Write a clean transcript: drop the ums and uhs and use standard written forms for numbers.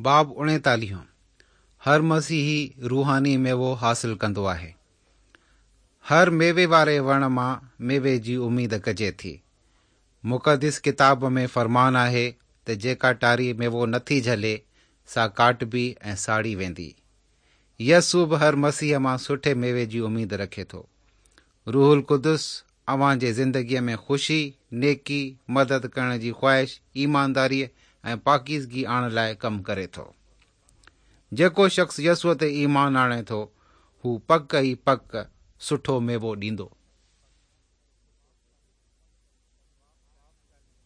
باب اوڻيتاليهون، هر مسيحي روحاني ميوو حاصل ڪندو آهي. هر ميوي واري وڻ مان ميوي جي اميد ڪجي ٿي. مقدس ڪتاب ۾ فرمان آهي ته جيڪا ٽاري ميوو نٿي جهلي، سا ڪاٽبي ۽ ساڙي ويندي. يسوع به هر مسيحيء مان سٺي ميوي جي اميد رکي ٿو. روح القدس اوهان جي زندگيء ۾ خوشي، نيڪي، مدد ڪرڻ جي خواهش، ايمانداريء ۽ پاڪيزگي آڻڻ لاء ڪم ڪري ٿو. جيڪو شخص يسوع تي ايمان آڻي ٿو، هو پڪ ئي پڪ سٺو ميوو ڏيندو.